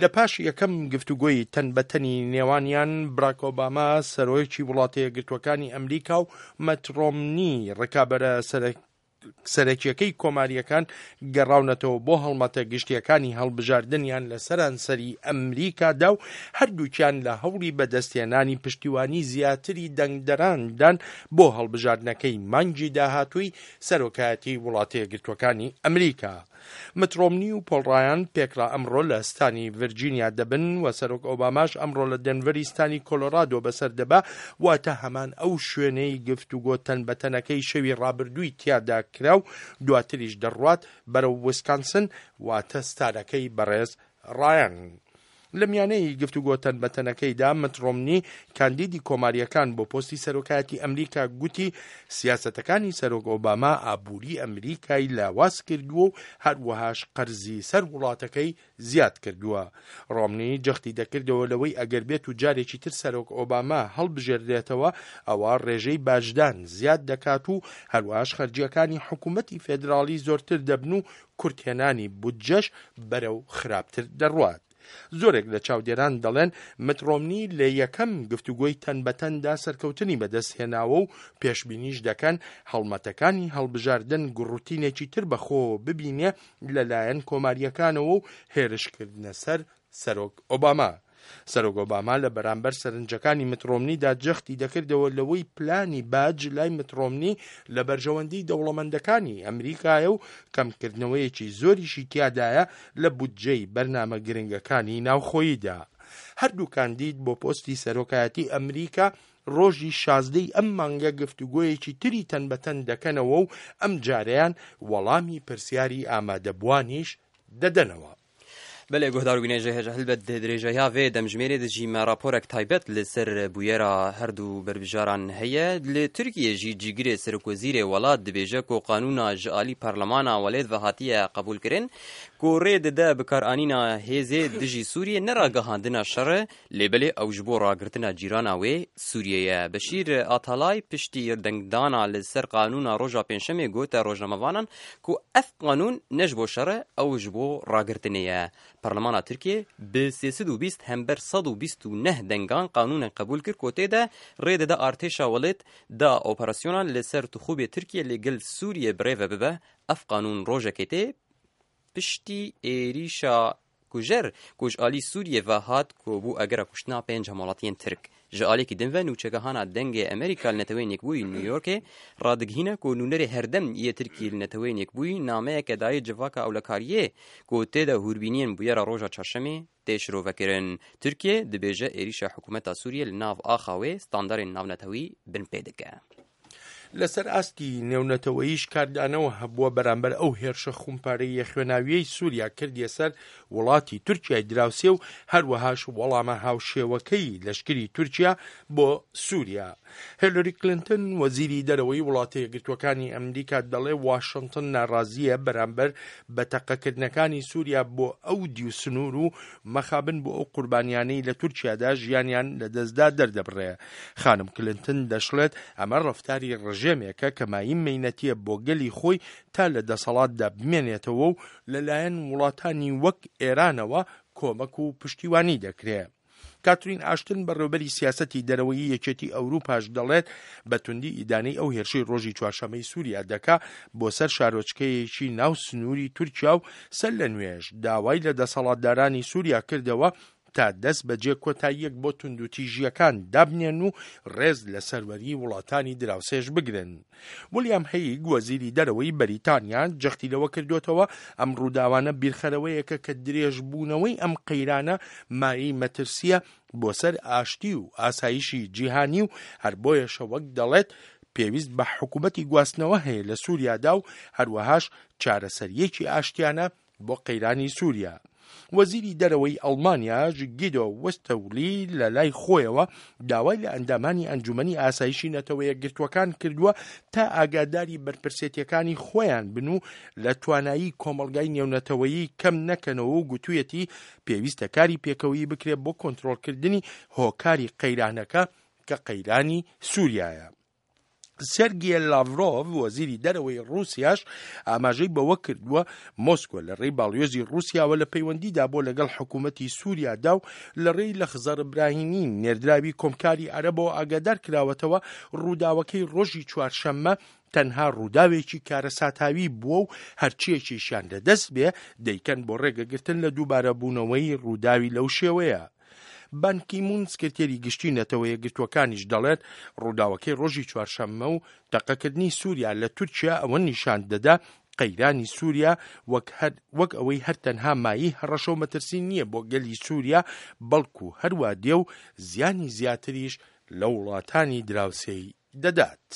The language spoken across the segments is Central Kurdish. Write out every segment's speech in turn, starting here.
لە پاش یەکەم گفتوگۆی تەن بە تەنی نێوانیان، براک ئۆباما سەرۆکی وڵاتە یەکگرتووەکانی ئەمریکا و مەت ڕۆمنی ڕکابەرە سەرەکیەکەی کۆمارییەکان گەڕاونەتەوە بۆ هەڵمەتە گشتیەکانی هەڵبژاردنیان لە سەرانسەری ئەمریکادا و هەردووکیان لە هەوڵی بەدەستهێنانی پشتیوانی زیاتری دەنگدەراندان بۆ هەڵبژاردنەکەی مانگی داهاتووی سەرۆکایەتی وڵاتە یەکگرتووەکانی ئەمریکا. مت ڕۆمنی و پۆڵ ڕایان پێکڕا ئەمڕۆ لە ستانی ڤرجینیا دەبن و سەرۆک ئۆباماش ئەمڕۆ لە دێنڤەری ستانی کۆلۆرادۆ بەسەر دەبا، واتە هەمان ئەو شوێنەی گفتوگۆ تەن بە تەنەکەی شەوی ڕابردووی تیادا کرا و دواتریش دەڕوات بەرەو ویسکانسن واتە ستانەکەی بەڕێز ڕایان. لە میانەی گفتوگۆ تەن بە تەنەکەیدا مت ڕۆمنی کاندیدی کۆمارییەکان بۆ پۆستی سەرۆکایەتی ئەمریکا گوتی سیاسەتەکانی سەرۆک ئۆباما ئابووری ئەمریکای لاواز کردووە و هەروەهاش قەرزی سەر وڵاتەکەی زیاد کردووە. ڕۆمنی جەختی دەکردەوە لەوەی ئەگەر بێت و جارێکی تر سەرۆک ئۆباما هەڵبژێردرێتەوە ئەوا ڕێژەی باجدان زیاد دەکات و هەروەهاش خەرجییەکانی حکوومەتی فێدراڵی زۆرتر دەبن و کورتهێنانی بودجەش بەرەو خراپتر دەڕوات. زۆرێک لە چاودێران دەڵێن مت ڕۆمنی لە یەکەم گفتوگۆی تەن بە تەندا سەرکەوتنی بەدەستهێناوە و پێشبینیش دەکەن هەڵمەتەکانی هەڵبژاردن گوڕوتینێکی تر بەخۆوە ببینێ لەلایەن کۆمارییەکانەوە و هێرشکردنە سەر سەرۆک ئۆباما. سەرۆک ئۆباما لە بەرامبەر سەرنجەکانی مت ڕۆمنیدا جەختی دەکردەوە لەوەی پلانی باج لای مت ڕۆمنی لە بەرژەوەندی دەوڵەمەندەکانی ئەمریکایە و کەمکردنەوەیەکی زۆریشی تیادایە لە بودجەی بەرنامە گرنگەکانی ناوخۆییدا. هەردوو کاندید بۆ پۆستی سەرۆکایەتی ئەمریکا ڕۆژی 16 ی ئەم مانگە گفتوگۆیەکی تری تەن بە تەن دەکەنەوە و ئەمجارەیان وەڵامی پرسیاری ئامادەبووانیش دەدەنەوە. بەلێ گوهدار و بینەژە هێژە هەلبەت درێژەیا vê demjimêrê de jî me raporek taybet li ser bûyera herdu berbijaran heye. Li Tirkiyê jî cîgirê serokwezîrê welat dibêje ku qanûna ji alî parlemana welêt ve hatiye qebûlkirin ku rê dide bikaranîna hêzê dijî Sûriyê ne ragihandina şer e lê belê ew ji bo ragirtina cîrana wê Sûriyê ye. Beşîr Atalay piştî dengdana li ser qanûna roja pêncşemê gote rojnamevanan ku ev qanûn ne ji bo şer e, ew ji bo ragirtinê ye. Parlemana Tirkiyê bi 320 hember 129 dengan qanûnek qebûl kir ku tê de rê dide artêşa welêt da operasyonan li ser tixûbê Tirkiyê li gel Sûriyê birêve bibe. Ev qanûn rojekê tê piştî êrîşa Kujer ku ji alî Sûriyê ve hat ku bû egera kuştina pênc hemwelatiyên Tirk. Ji aliyekî din ve nûçegehana Dengê Amerîka li Neteweyên Yekbûyî New Yorkê radigihîne ku nûnerê herdem yê Tirkiyê li Neteweyên Yekbûyî nameyeke dayê civaka ewlekariyê ku tê de hûrbîniyên bûyera roja çarşemê tê şirovekirin. Tirkiye dibêje êrîşa hikûmeta Sûriyê li nav axa wê standarên navnetewî binpê dike. لەسەر ئاستی نێونەتەوەییش کاردانەوە هەبووە بەرامبەر ئەو هێرشە خومپارەییە خوێناوییەی سووریا کردیە سەر وڵاتی تورکیای دراوسێ و هەروەهاش وەڵامە هاوشێوەکەی لەشکری تورکیا بۆ سووریا. هێلری کلنتن وەزیری دەرەوەی وڵاتە یەکگرتووەکانی ئەمریکا دەڵێ واشنتن ناڕازییە بەرامبەر بە تەقەکردنەکانی سووریا بۆ ئەو دیو سنوور و مەخابن بۆ ئەو قوربانیانەی لە تورکیادا ژیانیان لەدەستدا دەردەبڕێ. خانم کلنتن دەشڵێت ئەمە ڕەفتاری ڕژێمێکە کە مایەی مەینەتیە بۆ گەلی خۆی تا لە دەسەڵاتدا بمێنێتەوە و لەلایەن وڵاتانی وەک ئێرانەوە کۆمەک و پشتیوانی دەکرێ. کاترین ئاشتن بەڕێوبەری سیاسەتی دەرەوەیی یەکێتی ئەوروپاش دەڵێت بە توندی ئیدانەی ئەو هێرشەی ڕۆژی چوارشەمەی سووریا دەکا بۆ سەر شارۆچکەیەکی ناو سنووری تورکیا و سەر لە نوێش داوای لە دەسەڵاتدارانی سووریا کردەوە تا دەست بەجێ کۆتاییەک بۆ توندوتیژییەکان دابنێن و ڕێز لە سەروەری وڵاتانی دراوسێش بگرن. ولیام هەیگ وەزیری دەرەوەی بەریتانیا جەختی لەوە کردوێتەوە ئەم ڕووداوانە بیرخەرەوەیەکە کە درێژبوونەوەی ئەم قەیرانە مایەی مەترسیە بۆ سەر ئاشتی و ئاسایشی جیهانی و هەر بۆیەشە وەک دەڵێت پێویست بە حکوومەتی گواستنەوە هەیە لە سووریادا و هەروەهاش چارەسەریەکی ئاشتیانە بۆ قەیرانی سووریا. وەزیری دەرەوەی ئەڵمانیاش گیدۆ وستەولی لە لای خۆیەوە داوای لە ئەندامانی ئەنجومەنی ئاسایشی نەتەوە یەکگرتووەکان کردووە تا ئاگاداری بەرپرسێتیەکانی خۆیان بن و لە توانایی کۆمەڵگای نێونەتەوەیی کەم نەکەنەوە و گوتویەتی پێویستە کاری پێکەوەیی بکرێت بۆ کۆنترۆڵکردنی هۆکاری قەیرانەکە کە قەیرانی سووریایە. سێرگی لاڤرۆڤ، وەزیری دەرەوەی ڕووسیاش ئاماژەی بەوە کردووە، مۆسکۆ لە ڕێی باڵیۆزی ڕووسیاوە لە پەیوەندیدا بووە لەگەڵ حکوومەتی سووریادا و لە ڕێی لەخزەر براهیمی نێردراوی کۆمکاری عەرەبەوە ئاگادار کراوەتەوە ڕووداوەکەی ڕۆژی چوارشەممە تەنها ڕووداوێکی کارەساتاوی بووە و هەرچییەکیشیان لەدەست بێ دەیکەن بۆ ڕێگەگرتن لە دووبارەبوونەوەی ڕووداوی لەو شێوەیە. بان کی مون سکرتێری گشتی نەتەوە یەکگرتووەکانیش دەڵێت ڕووداوەکەی ڕۆژی چوارشەممە و تەقەکردنی سووریا لە تورکیا ئەوە نیشان دەدا قەیرانی سووریا وەک هەر وەک ئەوەی هەر تەنها مایەی هەڕەشە و مەترسی نییە بۆ گەلی سووریا بەڵکو هەروا دێ و زیانی زیاتریش لە وڵاتانی دراوسێی دەدات.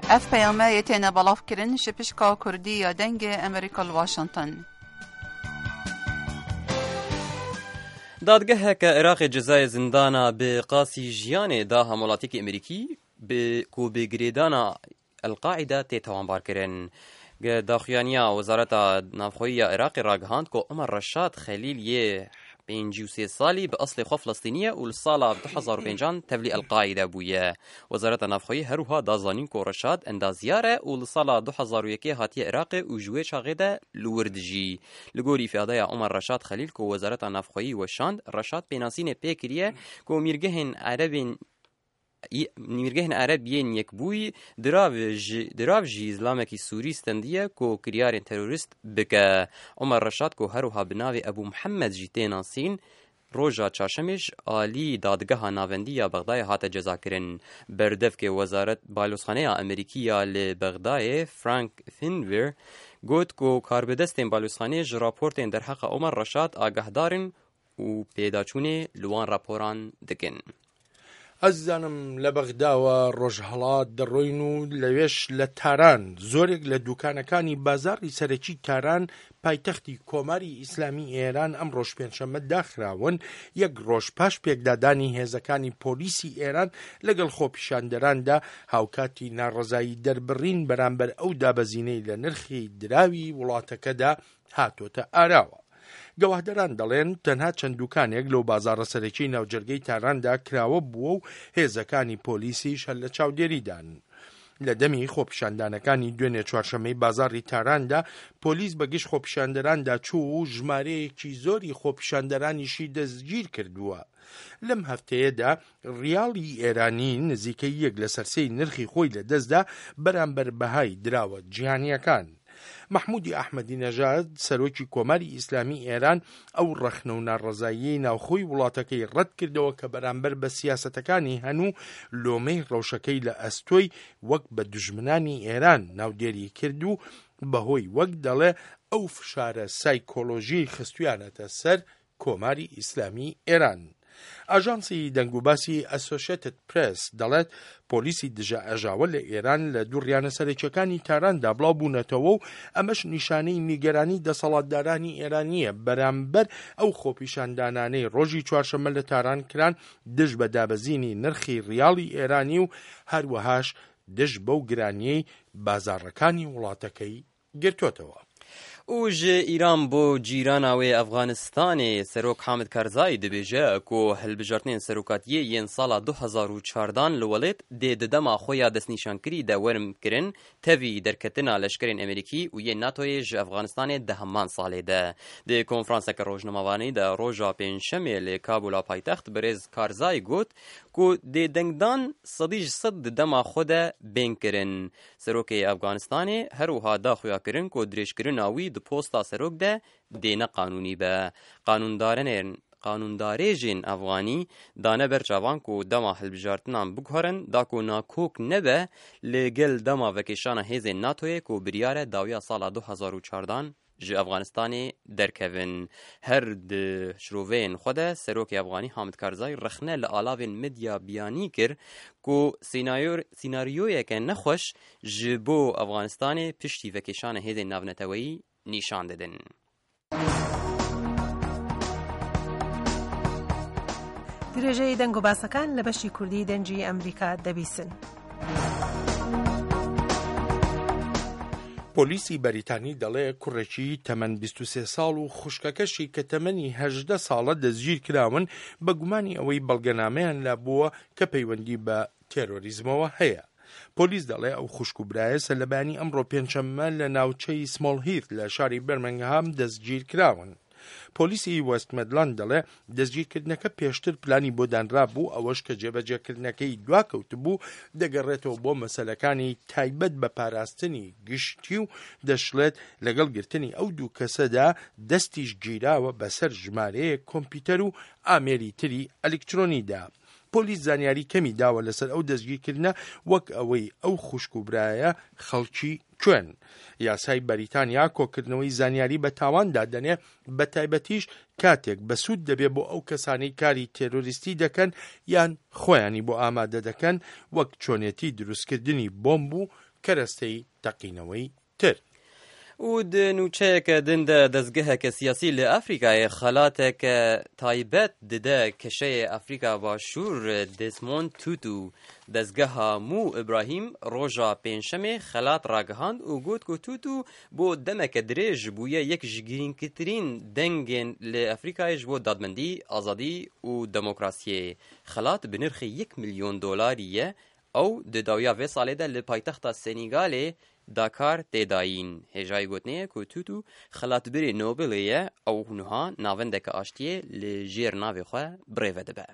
Ev peyame yê têne belav kirin ji pişka Kurdî ya Dengê Amerîka li Washington. Dadgeheke Iraqê cezayê zindana bi qasî jiyanê da hemwelatiyekî Amerîkî bi ku bi girêdana El Qaîde tê tawanbarkirin. Daxuyaniya Wezareta Navxweyî ya Iraqê ragihand ku Omer Reşad Xelîl yê 53 salî bi eslê xwe Filistînî ye û li sala 2005 an tevlî El Qaîde bûye. Wezareta Navxweyî her wiha da zanîn ku Reşad endazyar e û li sala 2001 hatiye Iraqê û ji wê çaxê de li wir dijî. Li gorî îfadeya Omer Reşad Xelîl ku Wezareta Navxweyî weşand, Reşad pênasînê pê kiriye ku mîrgehên Erebên Mîrgehên Ereb yên Yekbûyî dirav ji dirav jî zilamekî Sûrî stendiye ku kiryarên terorîst bike. Omer Reşad ku her wiha bi navê Ebû Mihemed jî tê nasîn, roja çarşemê ji alî Dadgeha Navendî ya Bexdayê hate cezakirin. Berdevkê Wezaret Balozxaneya Amerîkî ya li Bexdayê Frank Finver got ku karbidestên balozxaneyê ji raportên derheqa Omer Reşad agahdar in û pêdaçûnê li wan raporan dikin. ئازیزانم لە بەغداوە ڕۆژهەڵات دەڕۆین و لەوێش لە تاران زۆرێک لە دوکانەکانی بازاڕی سەرەکی تاران پایتەختی کۆماری ئیسلامی ئێران ئەمڕۆش پێنجشەممە داخراون یەک ڕۆژ پاش پێکدادانی هێزەکانی پۆلیسی ئێران لەگەڵ خۆپیشاندەراندا هاوکاتی ناڕەزایی دەربڕین بەرامبەر ئەو دابەزینەی لە نرخی دراوی وڵاتەکەدا هاتۆتە ئاراوە. گەواهدەران دەڵێن تەنها چەند دوکانێک لەو بازاڕە سەرەکیی ناوجەرگەی تاراندا کراوە بووە و هێزەکانی پۆلیسیش هەر لە چاودێریدان. لە دەمی خۆپیشاندانەکانی دوێنێ چوارشەممەی بازاڕی تاراندا پۆلیس بە گژ خۆپیشاندەراندا چوو و ژمارەیەکی زۆری خۆپیشاندەرانیشی دەستگیر کردووە. لەم هەفتەیەدا ڕیاڵی ئێرانی نزیکەی یەک لەسەر سێی نرخی خۆی لەدەستدا بەرامبەر بەهای دراوە جیهانییەکان. مەحمودی ئەحمەدی نەژاد، سەرۆکی کۆماری ئیسلامی ئێران ئەو ڕەخنە و ناڕەزاییەی ناوخۆی وڵاتەکەی ڕەتکردەوە کە بەرامبەر بە سیاسەتەکانی هەن و لۆمەی ڕەوشەکەی لە ئەستۆی وەک بە دوژمنانی ئێران ناودێری کرد و بەهۆی وەک دەڵێ ئەو فشارە سایکۆلۆژیەی خستویانەتە سەر کۆماری ئیسلامی ئێران. ئاژانسی دەنگوباسی ئەسۆشێتد پرێس دەڵێت پۆلیسی دژە ئاژاوە لە ئێران لە دووڕیانە سەرەکیەکانی تاراندا بڵاو بوونەتەوە و ئەمەش نیشانەی نیگەرانی دەسەڵاتدارانی ئێرانییە بەرامبەر ئەو خۆپیشاندانانەی ڕۆژی چوارشەممە لە تاران کران دژ بە دابەزینی نرخی ڕیاڵی ئێرانی و هەروەهاش دژ بەو گرانیەی بازاڕەکانی وڵاتەکەی گرتۆتەوە. Û ji Îran bo cîrana wê Efxanistanê Serok Hamid Karzai dibêje ku hilbijartinên serokatiyê yên sala 2014 li welêt dê di dema xwe ya destnîşankirî de werin kirin tevî derketina leşkerên Amerîkî û yên NATOyê ji Efxanistanê di heman salê de. Di konferanseke rojnamevanî de roja pêncşemê li Kabula paytext birêz Karzai got ku dê dengdan sedî ji sed di dema xwe de bên kirin. Serokê Efganistanê her wiha da xuyakirin ku dirêjkirina wî di posta serok de dê ne qanûnî be. Qanûndarenên Qanûndarêjên Efganî dane ber çavan ku dema hilbijartinan biguherin da ku nakok nebe li gel dema vekêşana hêzên NATOyê ku biryar e dawiya sala 2014 ji Efxanistanê derkevin. Her di şiroveyên xwe de Serokê Efxanî Hamid Karzai rexne li alavên medya biyanî kir ku sînaryoyeke nexweş ji bo Efxanistanê piştî vekêşana hêzên navneteweyî nîşan didin. درێژەی دەنگ و باسەکان لە بەشی کوردی دەنگی ئەمریکا دەبیسن. پۆلیسی بەریتانی دەڵێ کوڕێکی تەمەن 23 ساڵ و خوشکەکەشی کە تەمەنی 18 ساڵە دەستگیرکراون بە گومانی ئەوەی بەڵگەنامەیان لابووە کە پەیوەندی بە تێرۆریزمەوە هەیە. پۆلیس دەڵێ ئەو خوشک و برایە سەرلەبەیانی ئەمڕۆ پێنجشەممە لە ناوچەی سمۆڵ هیث لە شاری بێرمنگهام دەستگیرکراون. پۆلیسی وێست مێدلاند دەڵێ دەستگیرکردنەکە پێشتر پلانی بۆ دانرابوو، ئەوەش کە جێبەجێکردنەکەی دواکەوتبوو دەگەڕێتەوە بۆ مەسەلەکانی تایبەت بە پاراستنی گشتی و دەشڵێت لەگەڵ گرتنی ئەو دوو کەسەدا دەستیش گیراوە بەسەر ژمارەیەک کۆمپیوتەر و ئامێری تری ئەلیکترۆنیدا. پۆلیس زانیاری کەمی داوە لەسەر ئەو دەستگیرکردنە وەک ئەوەی ئەو خوشک و برایە خەڵکی کوێن. یاسای بەریتانیا کۆکردنەوەی زانیاری بە تاوان دادەنێ بە تایبەتیش کاتێک بەسوود دەبێ بۆ ئەو کەسانەی کاری تێرۆریستی دەکەن یان خۆیانی بۆ ئامادە دەکەن وەک چۆنێتی دروستکردنی بۆمب و کەرەستەی تەقینەوەی تر. و di nûçeyeke din de dezgeheke siyasî li Afrîkayê xelateke taybet dide keşeyê Afrîka Başûr Desmond Tutu. Dezgeha Mû Îbrahîm roja pêncşemê xelat ragihand û got ku Tutu bo demeke dirêj bûye yek ji girîngtirîn dengên li Afrîkayê ji bo dadmendî, azadî û demokrasiyê. Xelat bi nirxê yek milyon dolarî ye Ew di dawiya vê salê de li paytexta Senîgalê Dakar tê dayîn. Hêjayî gotinê ye ku Tutu xelatbirê Nobelê ye, ew niha navendeke aştiyê li jêr navê xwe birêve dibe.